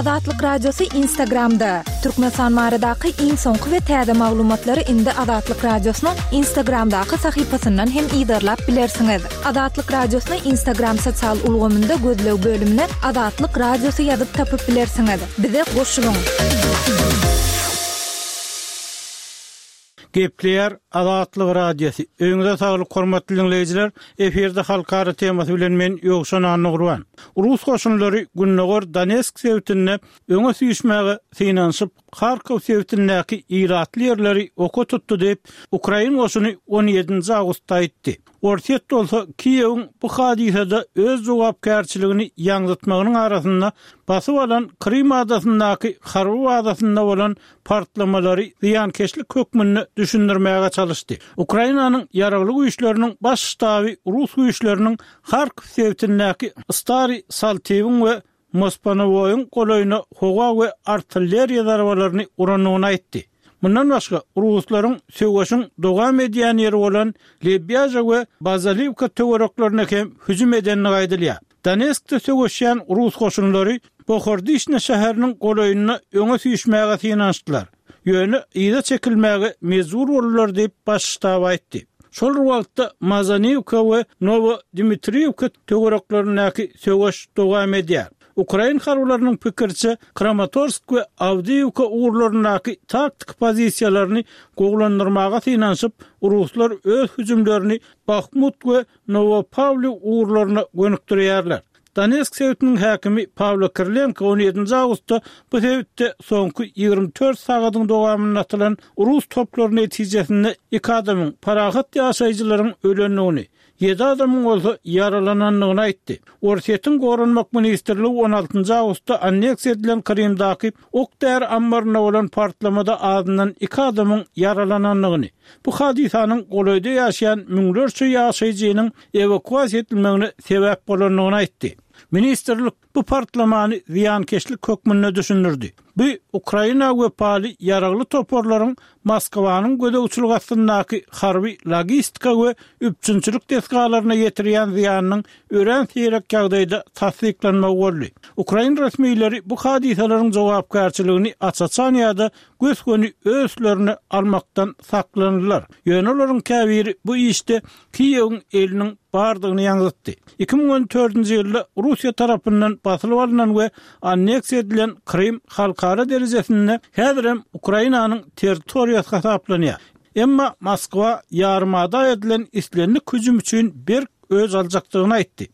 Azatlyk Radiosy Instagramda! Türkmenistan baradaky iň soňky we täze maglumatlary indi Azatlyk Radiosynyň Instagramdaky sahypasyndan hem yzarlap bilersiňiz. Azatlyk Radiosyny Instagram sosial ulgamynda gözleg bölümine Azatlyk Radiosy ýazyp tapyp bilersiňiz. Bize goşulyň! Gepleýär Azatlyk Radiosy. Öýüňize saglyk hormatly diňleýjiler. Efirde halkara temasy bilen men Ýowşan Annagurban. Rus goşunlary gündogar Donetsk sebitinde öňe süýşmäge synanyşyp, Harkow sebitindäki ilatly ýerleri oka tutdy diýip, ukrain goşuny on ýedinji awgustda aýtdy. Orsýet bolsa Kiýewiň bu hadysada öz jogapkärçiligini ýaňzytmagynyň arasynda basyp alan Krym adasyndaky harby bazasynda bolan partlamalary zyýankeşlik hökmünde düşündirmäge çalyşdy. Ukrainanyň Ýaragly Güýçleriniň Baş ştaby rus güýçleriniň Harkow sebitindäki Stary Saltiwiň we Mospanowoýyň golaýyna howa we artilleriýa zarbalaryny urandygyny aýtdy. Mundan başga, ruslaryň söweşiň dowam edýän ýeri bolan Lebýaža we Bazaliwka töwereklerine hem hüjüm edendigi aýdylýar. Donetskde söweşýän rus goşunlary Bohordişne şäheriniň golaýynda öňe süýşmäge synanyşdylar, ýöne yza çekilmäge mejbur boldular diýip, Baş ştab aýtdy. Şol bir wagtda, Mazaniwka we Nowodmitriwka töwereklerindäki söweş dowam edýär. Ukrain harbylarynyň pikiriçe, Kramatorsk we Awdiýiwka ugurlaryndaky taktiki pozisiýalaryny gowulandyrmaga synanyşyp, ruslar öz hüjümlerini Bahmut we Nowopawliw ugurlaryna gönükdirýärler. Donetsk sebitiniň häkimi Pawlo Kirilenko on ýedinji awgustda bu sebitde soňky 24 sagadyň dowamynda atylan rus toplary netijesinde iki adamyň, parahat ýaşaýjylaryň ölendigini, ýedi adamyň bolsa ýaralanandygyny aýtdy. Orsýetiň Goranmak ministrligi on altynjy awgustda anneksiýa edilen Krymdaky ok-däri ammarynda bolan partlamada azyndan iki adamyň ýaralanandygyny, bu hadysanyň golaýda ýaşaýan müňlerçe ýaşaýjynyň ewakuasiýa edilmegine sebäp bolandygyny aýtdy. Ministrlik bu partlamany zyýankeşlik hökmünde düşündirdi. Bu Ukraina wepaly ýaragly toparlaryň Moskwanyň gözegçiligi astyndaky harby logistika we üpjünçilik desgalaryna ýetirýän zyýanynyň örän seýrek ýagdaýda tassyklanmagy boldy. Ukrain resmileri bu hadysalaryň jogapkärçiligini aç-açan ýa-da gös-göni öz üstlerine almakdan saklandylar. Ýöne olaryň käbiri bu işde Kiýewiň eliniň bardygyny ýaňzytdy. 2014-nji ýylda Russiýa tarapyndan basylyp alnan we anneksiýa edilen Krym halkara derejesinde häzirem Ukrainanyň territoriýasy hasaplanýar. Emma Moskwa ýarymada edilen islendik hüjüm üçin berk öç aljakdygyny aýtdy.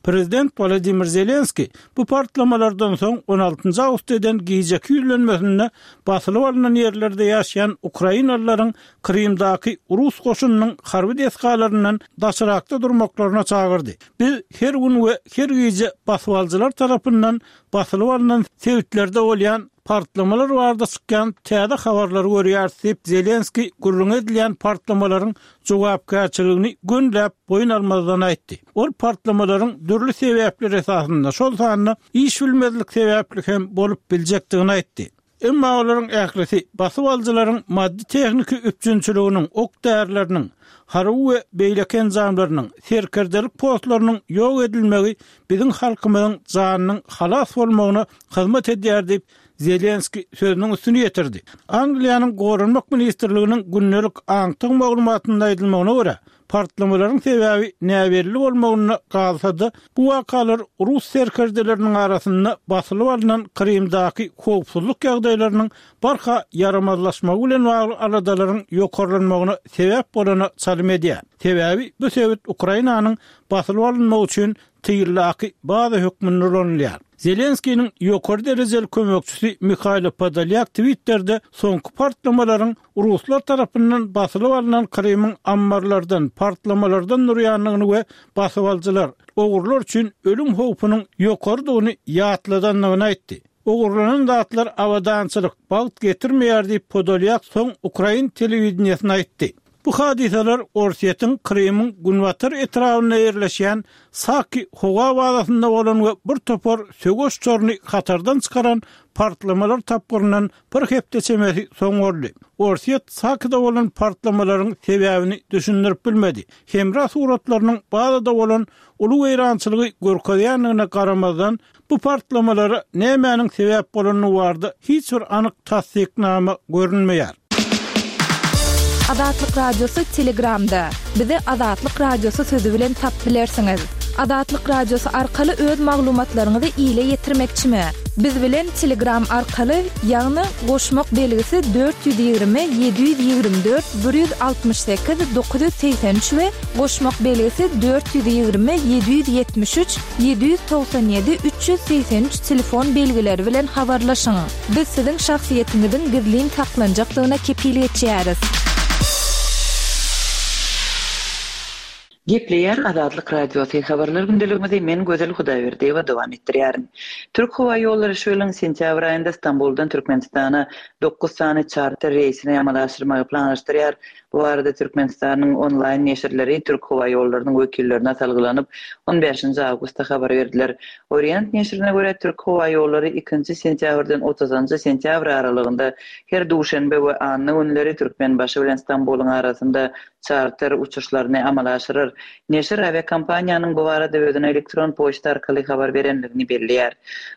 Prezident Wolodymyr Zelenskiý bu partlamalardan soň on altynjy awgustda eden gijeki ýüzlenmesinde basylyp alnan ýerlerde ýaşaýan ukrainalylaryň Krymdaky rus goşunynyň harby desgalaryndan daşrakda durmaklaryna çagyrdy. Biz her gün we her gije basybalyjylar tarapyndan basylyp alnan sebitlerde bolýan partlamalar barada çykýan täze habarlary görýäris diýip, Zelenskiý gürrüňi edilýän partlamalaryň jogapkärçiligini gönüläp boýun almazdan aýtdy. Ol partlamalaryň dürli sebäpler esasynda, şol sanda iş bilmezlik sebäpli hem bolup biljekdigini aýtdy. Emma olaryň ählisi basybalyjylaryň maddy-tehniki üpjünçiliginiň, ok-därileriniň, harby we beýleki enjamlarynyň, serkerdelik postlarynyň ýok edilmegi biziň halkymyzyň janynyň halas bolmagyna hyzmat edýär diýip, Zelenskiý sözüniň üstüni ýetirdi. Angliýanyň Goranmak ministrliginiň gündelik aňtaw maglumatynda aýdylmagyna görä, Partlamalaryň sebäbi näbelli bolmagynda galsa-da, bu wakalar rus serkerdeleriniň arasynda basylyp alnan Krymdaky howpsuzlyk ýagdaýlarynyň barha ýaramazlaşmagy bilen bagly aladalaryň ýokarlanmagyna sebäp bolana çalym edýär. Sebäbi bu sebit Ukrainanyň basylyp alynmagy üçin tyldaky baza hökmünde ulanylýar. Zelenskiniň ýokary derejeli kömekçisi Mihailo Podolýak Twitterde soňky partlamalaryň ruslar tarapyndan basylyp alnan Krymyň ammarlardan, partlamalardan durýandygyny we basybalyjylar, ogrular üçin ölüm howpunyň ýokarydygyny ýatladandygyny aýtdy. Ogurlanan zatlar abadançylyk, bagt getirmeýär diýip, Podolýak soň ukrain telewideniýesine aýtdy. Bu hadysalar Orsýetiň Krymyň günbatar etrabynda ýerleşýän Saki howa bazasynda bolan we bir topar söweş uçaryny hatardan çykaran partlamalar tapgyryndan bir hepde çemesi soň boldy. Orsýet Sakida bolan partlamalaryň sebäbini düşündirip bilmedi. Hemra suratlarynyň bazada bolan uly weýrançylygy görkezýändigine garamazdan, bu partlamalara nämäniň sebäp bolandygy barada hiç bir anyk tassyknama görünmeýär. Azatlyk Radiosy Telegramda. Bizi Azatlyk Radiosy sözi bilen tapyp bilersiňiz. Azatlyk Radiosy arkaly öz maglumatlaryňyzy ile ýetirmekçimi? Biz bilen Telegram arkaly, ýagny goşmak belgisi 420 724 168 983 we goşmak belgisi 420 773 797 383 telefon belgileri bilen habarlaşyň. Biz siziň şahsyýetiňiziň gizlin saklanjakdygyna kepil geçýäris. Gepleýär Azatlyk Radiosy, Habarlar gündeligimizi men Gözel Hudaýberdiýewa dowam etdirýärin. Türk howa ýollary şu ýylyň sentýabr aýynda Stambuldan Türkmenistana dokuz sany çarter reýsini amala aşyrmagy planlaşdyrýar. Bu barada Türkmenistanyň onlaýn neşirleri Türk howa ýollarynyň wekillerine salgylanyp, on bäşinji awgustda habar berdiler. Orient neşirine görä, Türk howa ýollary ikinji sentýabrdan otuzynjy sentýabr aralygynda her duşenbe we anna günleri Türkmenbaşy bilen Stambulyň arasynda çarter uçuşlaryny amala aşyrar. Neşir awiakompaniýanyň bu barada özüne elektron poçta arkaly habar berendigini belleýär.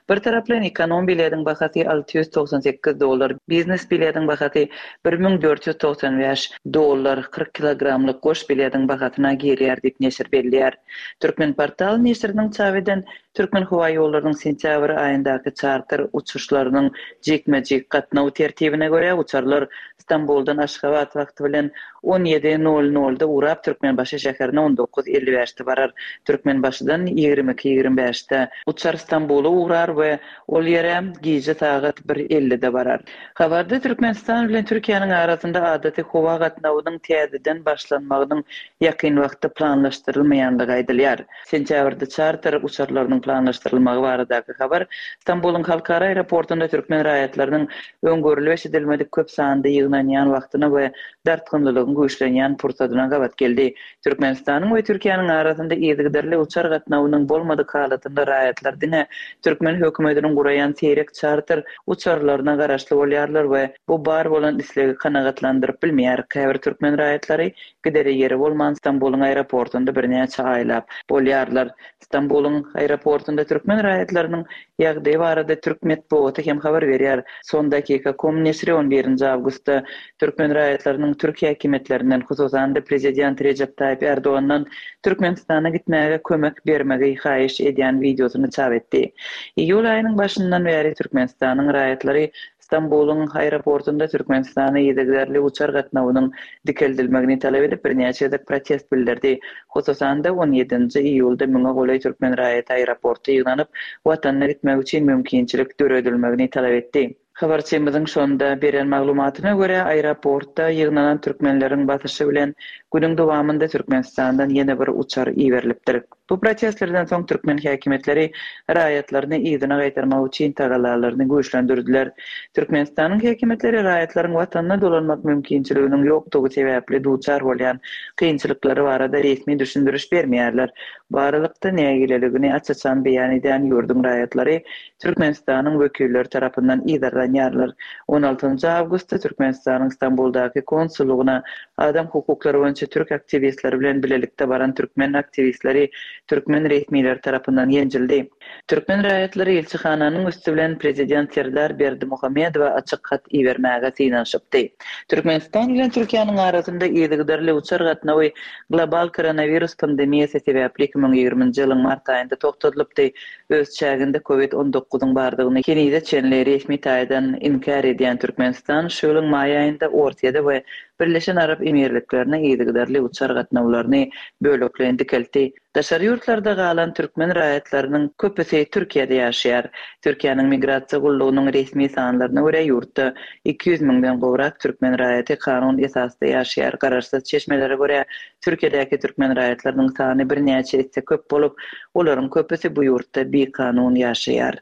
Bir taraplaýyn ekonom bilediň bahasy 698 dollar, biznes bilediň bahasy 1495 dollar, 40 kilogramlyk goş bilediň bahasyna girýär diýip neşir belleýär. Türkmenportal neşiriniň çap eden Türkmenhowaýollarynyň sentýabr aýyndaky çarter uçuşlarynyň jikme-jik gatnaw tertibine görä, uçarlar Stambuldan Aşgabat wagty bilen on ýedi nol nolda ugrap, Türkmenbaşy şäherine on dokuz 55 bäşde barar. Türkmenbaşydan 22 ýigrimi bäşde uçar Stambula ugrar we ol ýere gije sagat bir ellide barar. Habarda Türkmenistan bilen Türkiýäniň arasynda adaty howa gatnawynyň täzeden başlanmagynyň ýakyn wagtda planlaşdyrylmaýandygy aýdylýar. Sentýabrda çarter uçarlarynyň planlaşdyrylmagy baradaky habar Stambulyň halkara aeroportunda türkmen raýatlarynyň öň görlüp-eşidilmedik köp sanda ýygnanýan wagtyna we dartgynlylygyň güýçlenýän pursadyna gabat geldi. Türkmenistanyň we Türkiýäniň arasynda yzygiderli uçar gatnawynyň bolmadyk halatynda raýatlar diňe türkmen hökümetiniň guraýan seýrek çarter uçarlaryna garaşly bolýarlar we bu bar bolan islegi kanagatlandyryp bilmeýär. Käbir türkmen raýatlary Gidere ýeri bolman Stambulyň aeroportunda birnäçe aýlap bolýarlar. Stambulyň aeroportunda türkmen raýatlarynyň ýagdaýy barada türk metbugaty hem habar berýär. Son dakika com neşiri on birinji awgustda türkmen raýatlarynyň türk häkimiýetlerinden, hususan-da prezident Rejep Taýyp Ärdogandan Türkmenistana gitmäge kömek bermegi haýyş edýän wideosyny çap etdi. Iýul aýynyň başyndan bäri Türkmenistanyň raýatlary Stambulyň aeroportunda Türkmenistana yzygiderli uçar gatnawynyň dikeldilmegini talap edip birnäçe gezek protest bildirdi. Hususan-da, on ýedinji iýulda müňe golaý türkmen raýaty aeroportda ýygnanyp, watanyna gitmek üçin mümkinçilik döredilmegini talap etdi. Habarçymyzyň şonda beren maglumatyna görä, aeroportda ýygnanan türkmenleriň basyşy bilen günüň dowamynda Türkmenistandan ýene bir uçar iberilipdir. Bu protestlerden soň türkmen häkimiýetleri raýatlaryny yzyna gaýtarmak üçin tagallalaryny güýçlendirdiler. Türkmenistanyň häkimiýetleri raýatlaryň watanyna dolanmak mümkinçiliginiň ýokdugy sebäpli duçar bolýan kynçylyklary barada resmi düşündiriş bermeýärler. Bu aralykda, nägileligini aç-açan beýan edýän ýurduň raýatlary Türkmenistanyň wekilleri tarapyndan yzarlanýarlar. On altynjy awgustda Türkmenistanyň Stambuldaky konsullygyna adam hukuklary boýunça türk aktiwistleri bilen bilelikde baran türkmen aktiwistleri türkmen resmileri tarapyndan ýenjildi. Türkmen raýatlary ilçihananyň üsti bilen prezident Serdar Berdimuhamedowa açyk hat ibermäge synanyşypdy. Türkmenistan bilen Türkiýäniň arasynda yzygiderli uçar gatnawy global koronawirus pandemiýasy sebäpli 2020-nji ýylyň mart aýynda togtadylypdy. Öz çäginde Covid on dokuzyň bardygyny henize çenli resmi taýdan inkär edýän Türkmenistan şu ýylyň maý aýynda Orsýede we Birleşen Arap Emirliklerine yzygiderli uçar gatnawlaryny bölekleýin dikeltdi. Daşary ýurtlarda galan türkmen raýatlarynyň köpüsi Türkiýede ýaşaýar. Türkiýäniň Migrasiýa gullugynyň resmi sanlaryna görä, ýurtda 200 müňden gowrak türkmen raýaty kanun esasda ýaşaýar. Garaşsyz çeşmelere görä, Türkiýedäki türkmen raýatlarynyň sany birnäçe esse köp bolup, olaryň köpüsi bu ýurtda bikanun ýaşaýar.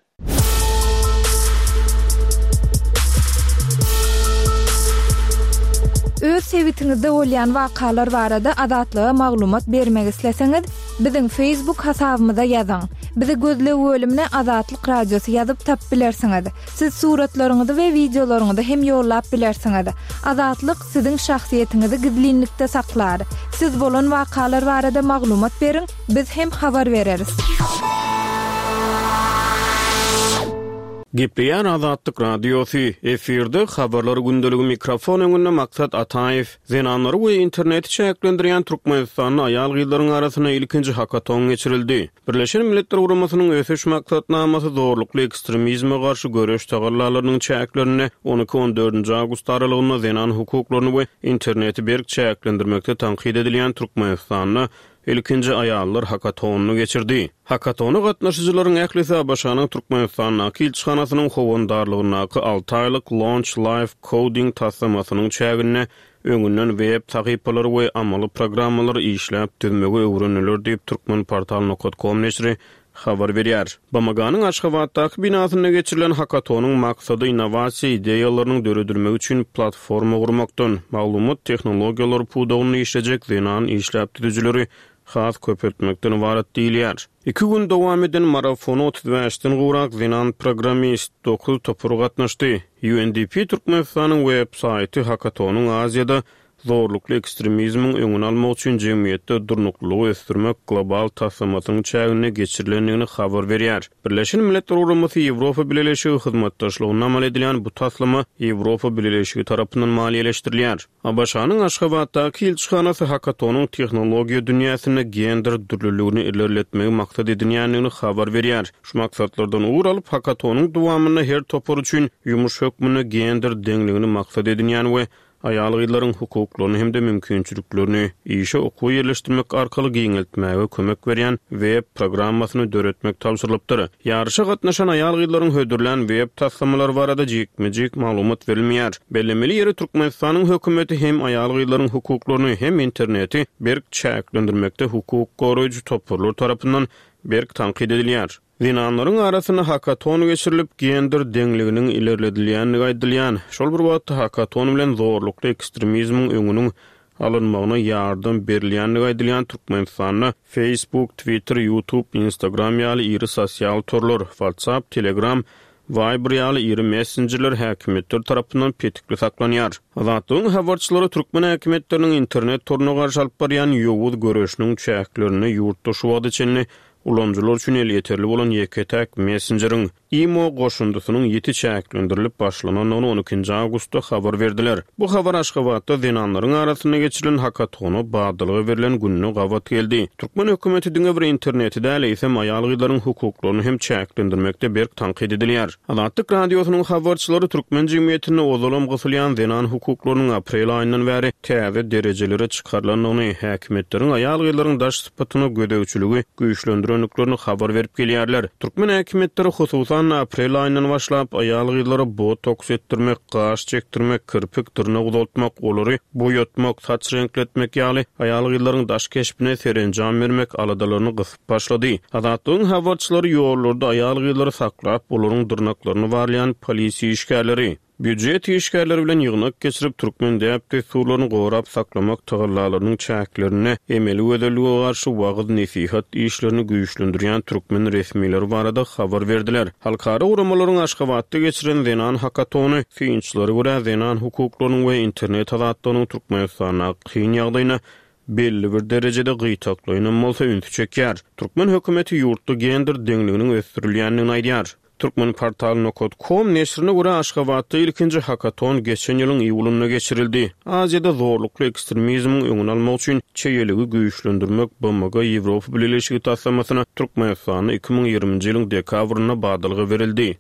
Öz sebitiňizde bolýan wakalar barada Azatlyga maglumat bermek isleseňiz, biziň Facebook hasabymyza ýazyň. Bizi gözleg bölümine Azatlyk Radiosy ýazyp tapyp bilersiňiz. Siz suratlaryňyzy we wideolaryňyzy hem ýollap bilersiňiz. Azatlyk siziň şahsyýetiňizi gizlinlikde saklar. Siz bolan wakalar barada maglumat beriň, biz hem habar bereris. Gepleýär Azatlyk Radiosy, efirde Habarlar gündeligi mikrofon öňünde Maksat Ataýew. Zenanlary we interneti çäklendirýän Türkmenistanda aýal-gyzlaryň arasynda ilkinji hakaton geçirildi. Birleşen Milletler Guramasynyň Ösüş Maksatnamasy zorlukly ekstremizme garşy göreş tagallalarynyň çäklerinde on iki-on dördünji awgust aralygynda zenan hukuklaryny we interneti berk çäklendirmekde tankyt edilýän Türkmenistanda ilkinji aýallar hakatonyny geçirdi. Hakatona gatnaşyjylaryň ählisi ABŞ-nyň Türkmenistandaky ilçihanasynyň howandarlygyndaky alty aýlyk Launch Live Coding taslamasynyň çäginde öňünden web sahypalary we amaly programmalary işläp düzmegi öwrendiler diýip, Turkmenportal nokat kom neşiri habar berýär. BMG-niň Aşgabatdaky binasynda geçirilen hakatonyň maksady innowasiýa ideýalarynyň döredilmegi üçin platforma gurmakdan, maglumat tehnologiýalary pudagynda işlejek zenan işläp düzüjileri has köpeltmekden ybarat diýilýär. Iki gün dowam eden marafona 35-den gowrak zenan programmist, dokuz topar gatnaşdy. UNDP Türkmenistanyň web saýty hakatonyň Aziýada zorlukly ekstremizmiň öňüni almak üçin jemgyýetde durnuklylygy ösdürmek global taslamasynyň çäginde geçirilendigini habar berýär. Birleşen Milletler Guramasy Ýewropa Bileleşigi hyzmatdaşlygynda amal edilýän bu taslama Ýewropa Bileleşigi tarapyndan maliýeleşdirilýär. ABŞ-nyň Aşgabatdaky ilçihanasy hakatonyň tehnologiýa dünýäsinde gender dürlüligini ilerletmegi maksat edinýändigini habar berýär. Şu maksatlardan ugur alyp, hakatonyň dowamynda her topar üçin ýumuş hökmünde gender deňligini maksat edinýän we aýal-gyzlaryň hukuklaryny hem-de mümkinçiliklerini işe okuwa ýerleşdirmek arkaly giňeltmäge kömek berýän web programmasyny döretmek tabşyrylypdyr. Ýaryşa gatnaşan aýal-gyzlaryň hödürlän web taslamalary barada jikme-jik maglumat berilmeýär. Bellemeli ýeri, Türkmenistanyň hökümeti hem aýal-gyzlaryň hukuklaryny, hem interneti berk çäklendirmekde hukuk goraýjy toparlar tarapyndan berk tankyt edilýär. Zenanlaryň arasynda hakaton geçirilip, gender deňliginiň ilerledilýändigi aýdylýan, şol bir wagtda hakaton bilen zorlukly ekstremizmiň öňüniň alynmagyna ýardam berilýändigi aýdylýan Türkmenistanda Facebook, Twitter, YouTube, Instagram ýaly iri sosial torlar, WhatsApp, Telegram, Viber ýaly iri messenjerler häkimiýetler tarapyndan petikli saklanýar. Azatlygyň habarçylary türkmen häkimiýetleriniň internet toruna garşy alyp barýan ýowuz göreşiniň çäklerinde ýurtda şu wagta çenli Ulanyjylar üçin elýeterli bolan ýeke-täk messenjeriň, Imo goşundysynyň ýiti çäklendirilip başlanandygyny on ikinji awgustda habar berdiler. Bu habar Aşgabatda zenanlaryň arasynda geçirilen hakatona badalga berlen gününe gabat geldi. Türkmen hökümeti diňe bir interneti däl, eýsem aýal-gyzlaryň hukuklaryny hem çäklendirmekde berk tankyt edilýär. Azatlyk Radiosynyň habarçylary türkmen jemgyýetinde ozalam gysylýan zenan hukuklarynyň aprel aýyndan bäri täze derejelere çykarylandygyny, häkimiýetleriň aýal-gyzlaryň daş sypatyna gözegçiligi güýçlendirendiklerini habar berip gelýärler. Türkmen häkimiýetleri, hususan-da, aprel aýyndan başlap, aýal-gyzlara botoks etdirmek, gaş çekdirmek, kirpik, dyrnak uzaltmak, olary boýatmak, saç reňkletmek ýaly aýal-gyzlaryň daş keşbine serenjam bermek aladalaryny gysyp başlady. Azatlygyň habarçylary ýollarda aýal-gyzlary saklap, olaryň dyrnaklaryny barlaýan polisiýa işgärleri, Býujet işgärleri bilen ýygnak geçirip, türkmen däp-dessurlaryny gorap saklamak tagallalarynyň çäklerinde emeli gözellige garşy wagyz-nesihat işlerini güýçlendirýän türkmen resmileri barada habar berdiler. Halkara guramalaryň Aşgabatda geçiren zenan hakatony synçylara görä, zenan hukuklarynyň we internet azatlygynyň Türkmenistandaky kyn ýagdaýyna belli bir derejede gytaklaýynam bolsa ünsi çekýär. Türkmen hökümeti ýurtda gender deňliginiň ösdürilýändigini aýdýar. Turkmenportal nokat kom neşirine görä, Aşgabatda ilkinji hakaton geçen ýylyň iýulynda geçirildi. Aziýada zorlukly ekstremizmiň öňüni almak üçin çeýeligi güýçlendirmek BMG-Ýewropa Bileleşigi taslamasyna Türkmenistanda 2020-nji ýylyň dekabrynda badalga berildi.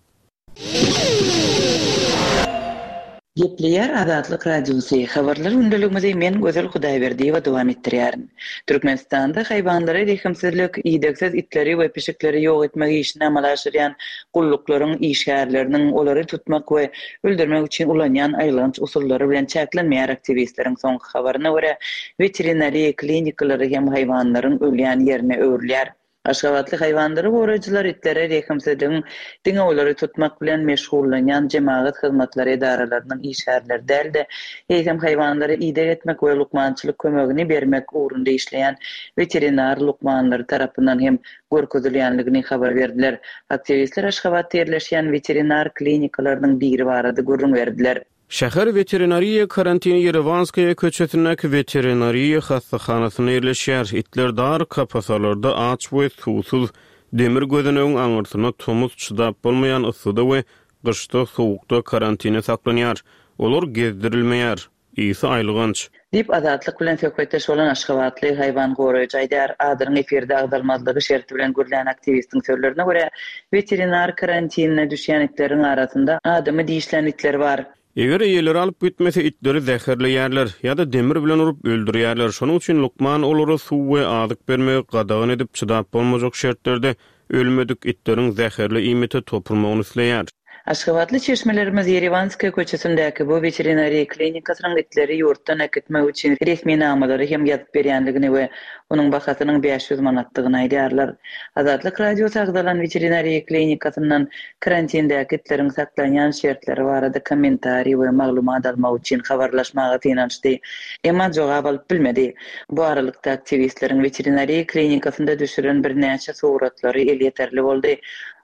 Gepleýär Azatlyk Radiosy, Habarlar gündeligimizi men Gözel Hudaýberdiýewa dowam etdirýärin. Türkmenistanda haýwanlara rehimsizlik, idegsiz itleri we pişikleri ýok etmek işini amala aşyrýan gulluklaryň işgärleriniň olary tutmak we öldürmek üçin ulanýan aýylganç usullary bilen çäklenmeýär aktiwistleriň soňky habaryna görä, weterinariýa klinikalary hem haýwanlaryň ölýän ýerine öwrülýär. Aşgabatly haýwanlary goraýjylar itlere rehimsizligiň diňe olary tutmak bilen meşgullanýan jemagat hyzmatlary edaralarynyň işgärleri däl-de, eýsem haýwanlara ideg etmek we lukmançylyk kömegini bermek ugrunda işleýän weterinar lukmanlary tarapyndan hem görkezilýänligini habar berdiler. Aktiwistler Aşgabatda ýerleşýän weterinar klinikalarynyň biri barada gürrüň berdiler. Şäher weterinariýa karantini Ýerewanskaýa köçesindäki weterinariýa hassahanasynda ýerleşýär. Itler dar kapasalarda aç we suwsuz, demir gözenegiň aňyrsynda tomus çydap bolmaýan yssyda we gyşda sowukda karantinde saklanýar. Olar gezdirilmeýär. Ysy aýylganç. Diýip, Azatlyk bilen söhbetdeş bolan aşgabatly haýwan goraýjy aýdýar. Adynyň efirde agzalmazlygy şerti bilen gürlän aktiwistiň sözlerine görä, weterinar karantinine düşýän itleriň arasynda adamy dişlän itler bar. Eger eýeleri alyp gitmese, itleri zäherleýärler ýa-da demir bilen urup öldürýärler. Şonuň üçin lukman olara suw we azyk bermegi gadagan edip, çydap bolmajak şertlerde ölmedik itleriň zäherli iýmite topulmagyny isleýär. Aşgabatly çeşmelerimiz Ýerewanskaýa köçesindäki bu weterinariýa klinikasynyň itleri ýurtdan äkitmek üçin resminamalary hem ýazyp berýändigini we onuň bahasynyň 500 manatdygyny aýdýarlar. Azatlyk Radiosy agzalan weterinariýa klinikasyndan karantindäki itleriň saklanýan şertleri barada kommentariý we maglumat almak üçin habarlaşmaga synanyşdy, emma jogap alyp bilmedi. Bu aralykda, aktiwistleriň weterinariýa klinikasynda düşüren birnäçe suratlary elýeterli boldy.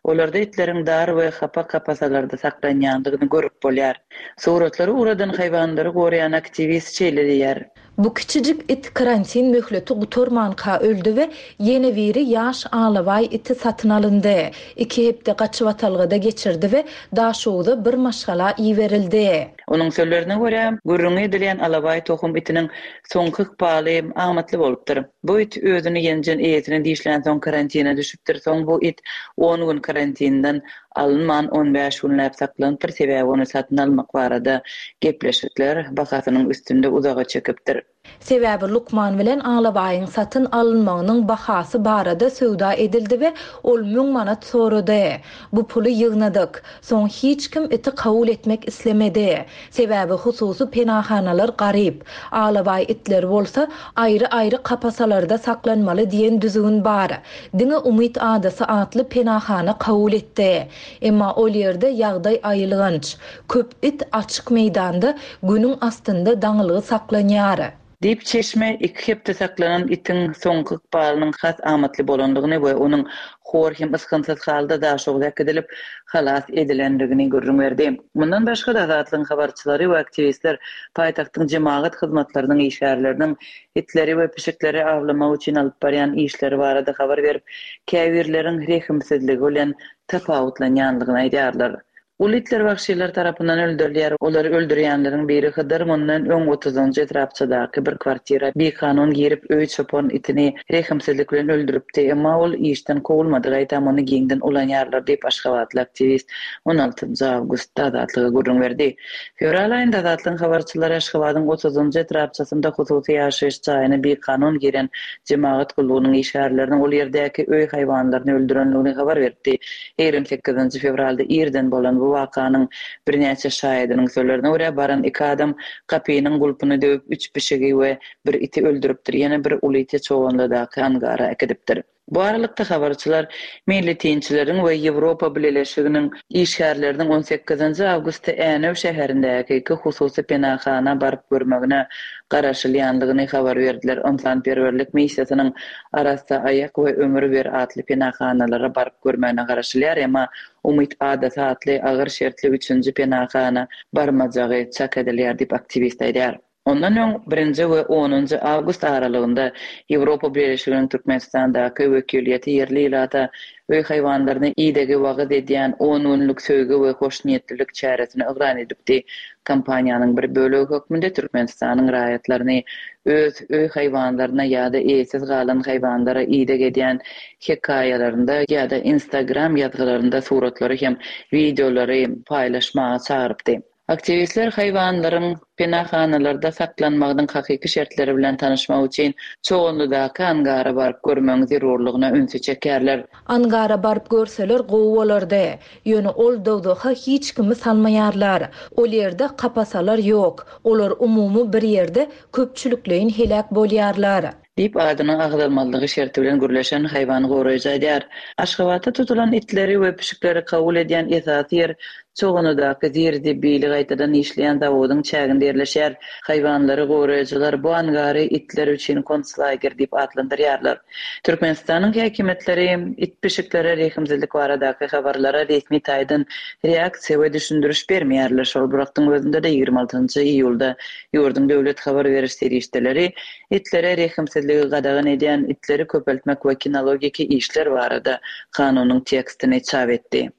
Olarda itleriň dar we hapa kapasalarda saklanýandygyny görüp bolýar. Suratlary ugradan haýwanlary goraýan aktiwist şeýle diýýär. Bu kiçijik it karantin möhleti gutarmanka öldi we ýene biri ýaş alabaý iti satyn alyndy. Iki hepde gaçybatalgada geçirdi we Daşoguza bir maşgala iberildi. Onuň sözlerine görä, gürrüňi edilýän alabaý tohum itiniň soňky ykbaly amatly bolupdyr. Bu it özüni ýenjen eýesini dişlänsoň karantina düşüpdir, soň bu it on gün karantinden alynman on bäş günläp saklanypdyr, sebäbi ony satyn almak barada gepleşikler bahasynyň üstünde uzaga çekipdir. Sebäbi lukman bilen alabaýyň satyn alynmagynyň bahasy barada söwda edildi we ol müň manat sorady. Bu puly ýygnadyk. Soň hiç kim iti kabul etmek islemedi. Sebäbi hususy penahanalar garyp. Alabaý itler bolsa aýry-aýry kapasalarda saklanmaly diýen düzgün bar. Diňe Umyt adasy atly penahana kabul etdi. Emma ol ýerde ýagdaý aýylganç. Köp it açyk meýdanda günüň astynda daňylgy saklanýar. Diýip, çeşme iki hepde saklanan itiň soňky ykbalynyň has amatly bolandygyny we onuň hor hem ysgynsyz halda Daşoguza äkidilip, halas edilendigini gürrüň berdi. Mundan başga-da, Azatlygyň habarçylary we aktiwistler paýtagtyň jemagat hyzmatlarynyň işgärleriniň itleri we pişikleri awlamak üçin alyp barýan işleri barada habar berip, käbirleriň rehimsizligi bilen tapawutlanýandygyny aýdýarlar. Uly itler wagşylar tarapyndan öldürilýär. Olary öldürýänleriň biri Hydyr mundan öň otuzynjy etrapçadaky bir kwartira bikanun girip, öý çopan itini rehimsizlik bilen öldüripdi. Emma ol işden kowulmady, gaýtam ony giňden ulanýarlar diýip, aşgabatly aktiwist on altynjy awgustda Azatlyga gürrüň berdi. Fewral aýynda Azatlygyň habarçylary Aşgabadyň otuzynjy etrapçasynda hususy ýaşaýyş jaýyna bikanun giren jemagat gullugynyň işgärleriniň ol ýerdäki öý haýwanlaryny öldürendigini habar beripdi. 28 fewralda irden bolan bu wakanyň birnäçe şaýadynyň sözlerine görä, baran iki adam gapynyň gulpuny döwüp, üç pişigi we bir iti öldüripdir, ýene bir uly iti Çoganlydaky angara äkidipdir. Bu aralykda, habarçylar meýletinçileriň we Ýewropa Bileleşiginiň işgärleriniň on sekizinji awgustda Änew şäherindäki iki hususy penahana baryp görmegine garaşylýandygyny habar berdiler. Ynsanperwerlik missiýasynyň Arassa aýak we Ömür ber atly penahanalara baryp görmegine garaşylýar, emma Umyt adasy atly agyr şertli üçünji penahana barmajagy çak edilýär diýip, aktiwist aýdýar. Ondan öň, birinji we onunjy awgust aralygynda Ýewropa Bileleşiginiň Türkmenistandaky wekiliýeti ýerli ilata öý haýwanlaryna idegi wagyz edýän on günlük söýgi we hoşniýetlilik çäresini yglan edipdi. Kampaniýanyň bir bölegi hökmünde Türkmenistanyň raýatlaryny öz öý haýwanlaryna ýa-da eýesiz galan haýwanlara ideg edýän hekaýalarynda ýa-da Instagram ýazgylarynda suratlary hem wideolary paýlaşmaga çagyrypdy. Aktiwistler haýwanlaryň penahanalarda saklanmagynyň hakyky şertleri bilen tanyşmak üçin Çoganlydaky angara baryp görmegiň zerurlygyna ünsi çekýärler. Angara baryp görseler gowy bolardy. Ýöne ol dowzaha hiç kimi salmaýarlar. Ol ýerde kapasalar ýok. Olar umumy bir ýerde köpçülikleýin heläk bolýarlar. Diýip, adynyň agzalmazlygy şerti bilen gürleşen haýwan goraýjy aýdýar. Aşgabatda tutulan itleri we pişikleri kabul edýän esasy ýer Çoganlydaky zir-zibili gaýtadan işleýän zawodyň çäginde ýerleşýär. Haýwanlary goraýjylar bu angary itler üçin konslager diýip atlandyrýarlar. Türkmenistanyň häkimiýetleri it-pişiklere rehimsizlik baradaky habarlara resmi taýdan reaksiýa we düşündiriş bermeýärler. Şol bir wagtyň özünde-de 26 iýulda ýurduň döwlet habar beriş serişdeleri Itlere rehimsizligi gadagan edýän Itleri köpeltmek we kinologiki işler barada kanunyň tekstini çap etdi.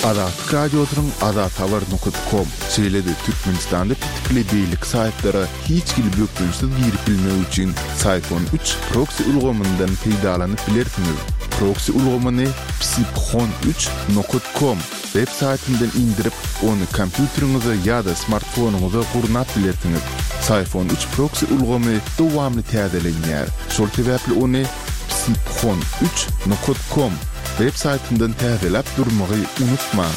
Azatlyk Radiosynyň azathabar nokat kom, şeýle-de Türkmenistanda petikli beýleki saýtlara hiç hili bökdençsiz girip bilmek üçin Syfon üç proksi ulgamyndan peýdalanyp bilersiňiz. Proksi ulgamyny psiphon üç nokat kom Web saýtyndan indirip, ony kompýuteriňize ýa-da smartfonyňyza gurnap bilersiňiz. Syfon üç proksi ulgamy dowamly täzelenýär. Şol sebäpli ony psiphon üç nokat kom web saýtyndan täzeläp durmagy unutmaň.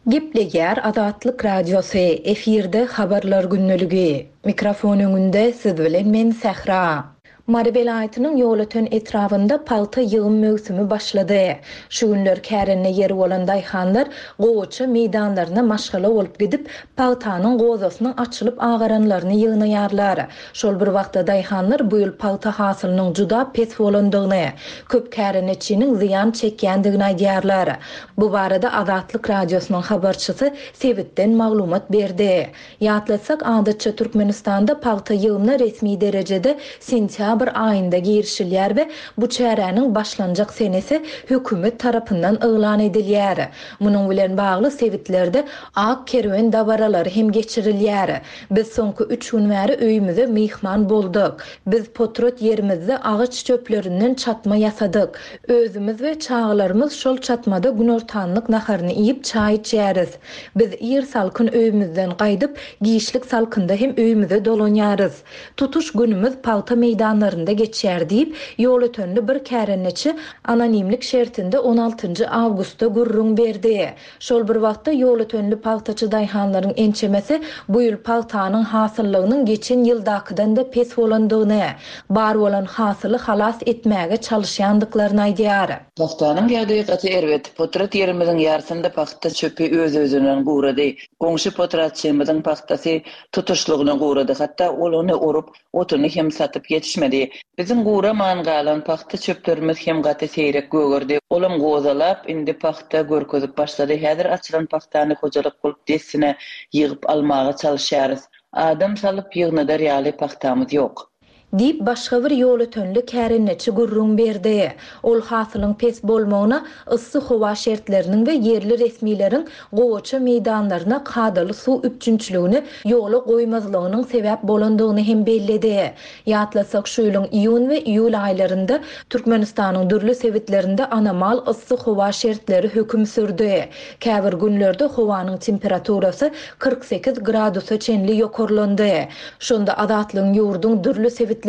Gepleýär Azatlyk Radiosy, efirde Habarlar gündeligi. Mikrofon öňünde siz bilen men Sähra. Mary welaýatynyň Ýolöten etrabynda pagta ýygym möwsümi başlady. Şu günler kärende ýeri bolan daýhanlar gowaça meýdanlaryna maşgala bolup gidip, pagtanyň gozasynyň açylyp agaranlaryny ýygnaýarlar. Şol bir wagtda daýhanlar bu ýyl pagta hasylynyň juda pes bolandygyny, köp kärendeçiniň zyýan çekýändigini aýdýarlar. Bu barada Azatlyk Radiosynyň habarçysy sebitden maglumat berdi. Ýatlatsak, adatça Türkmenistanda pagta ýygymyna resmi derejede sentýabr aýynda girişilýär we bu çäräniň başlanjak senesi hökümet tarapyndan yglan edilýär. Munuň bilen bagly sebitlerde ak kerwen dabaralary hem geçirilýär. Biz soňky üç gün bäri öýümize myhman bolduk. Biz potrat ýerimizde agaç çöplerinden çatma ýasadyk. Özümiz we çagalarymyz şol çatmada günortanlyk naharyny iýip çaý içýäris. Biz ir salkyn öýümizden gaýdyp, giçlik salkynda hem öýümize dolanýarys. Tutuş günümiz pagta meýdanlarynda geçýär diýip, ýolötenli bir kärendeçi anonimlik şertinde on altynjy awgustda gürrüň berdi. Şol bir wagtda, ýolötenli pagtaçy daýhanlaryň ençemesi bu ýyl pagtanyň hasyllygynyň geçen ýyldakydan-da pes bolandygyny, bar bolan hasyly halas etmäge çalyşýandyklaryny aýdýar. Pagtanyň ýagdaýy gaty erbet. Potrat ýerimiziň ýarsynda pagta çöpi öz-özünden gurady. Goňşy potratçymyzyň pagtasy tutuşlygyna gurady. Hatda ol ony orup, otuny hem satyp ýetişmedi. Biziň guraman galan pagta çöplerimiz hem gaty seýrek gögerdi. Olam gozalap, indi pagta görkezip başlady. Häzir açylan pagtany hojalyk bolup dessine ýygyp almaga çalyşýarys. Adam salyp ýygnadar ýaly pagtamyz ýok. Diýip, başga bir ýolötenli kärendeçi gürrüň berdi. Ol hasylyň pes bolmagyna yssy howa şertleriniň we ýerli resmileriň gowaça meýdanlaryna kadaly suw üpjünçiligini ýola goýmazlygynyň sebäp bolandygyny hem belledi. Ýatlasak, şu ýylyň iýun we iýul aýlarynda Türkmenistanyň dürli sebitlerinde anomal yssy howa şertleri höküm sürdi. Käbir günlerde howanyň temperaturasy 48 gradusa çenli ýokarlandy. Şonda Azatlygyň ýurduň dürli sebitlerindäki,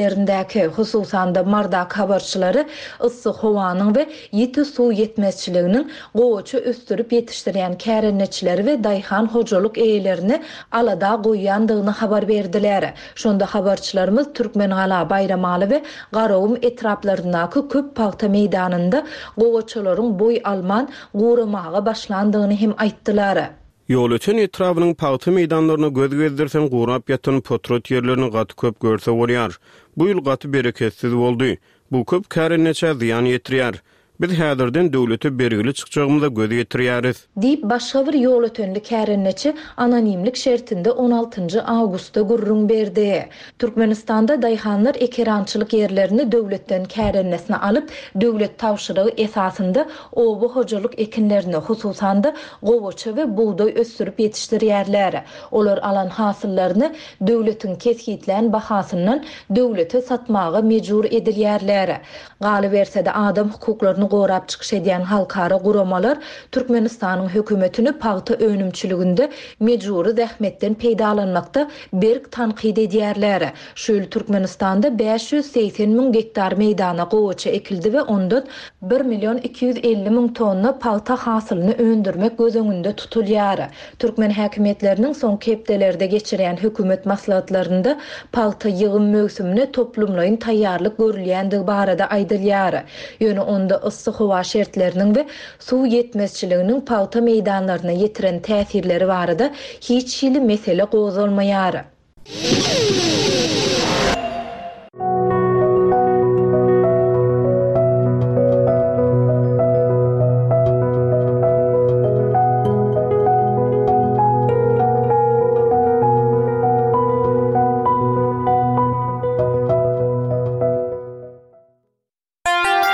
hususan-da Mardaky habarçylary yssy howanyň we ýiti suw ýetmezçiliginiň gowaça ösdürip ýetişdirýän kärendeçileri we daýhan hojalyk eýelerini alada goýýandygyny habar berdiler. Şonda habarçylarymyz Türkmengala, Baýramaly we Garagum etraplaryndaky köp pagta meýdanynda gowaçalaryň boý alman, guramaga başlandygyny hem aýtdylar. Ýolöten etrabynyň pagta meýdanlaryna göz gezdirseň gurap ýatan potrat ýerlerini gaty köp görse bolýar. Bu ýyl gaty bereketsiz boldy. Bu köp kärendeçä zyýan ýetirýär. Biz häzirden döwlete bergili çykjagymyza göz ýetirýäris. Diýip, başga bir ýolötenli kärendeçi anonimlik şertinde on altynjy awgustda gürrüň berdi. Türkmenistanda daýhanlar ekerançylyk ýerlerini döwletden kärendesine alyp, döwlet tabşyrygy esasynda oba hojalyk ekinlerini, hususan-da, gowaça we bugdaý ösdürip ýetişdirýärler. Olar alan hasyllaryny döwletiň kesgitlän bahasyndan döwlete satmaga mejbur edilýärler. Galyberse-de, adam hukuklaryny gorap çykyş edýän halkara guramalar Türkmenistanyň hökümetini pagta önümçiliginde mejbury zähmetden peýdalanmakda berk tankyt edýärler. Şu ýyl Türkmenistanda 580 müň gektar meýdana gowaça ekildi we ondan. Bir million 250 müň tonna pagta hasylyny öndürmek göz öňünde tutulýar. Türkmen häkimiýetleriniň soňky hepdelerde geçirýän hökümet maslahatlarynda pagta ýygym möwsümine toplumlaýyn taýýarlyk görülýändigi barada aýdylýar. Ýöne onda yssy howa şertleriniň we suw ýetmezçiliginiň pagta meýdanlaryna ýetiren täsirleri barada hiç hili mesele gozgalmaýar.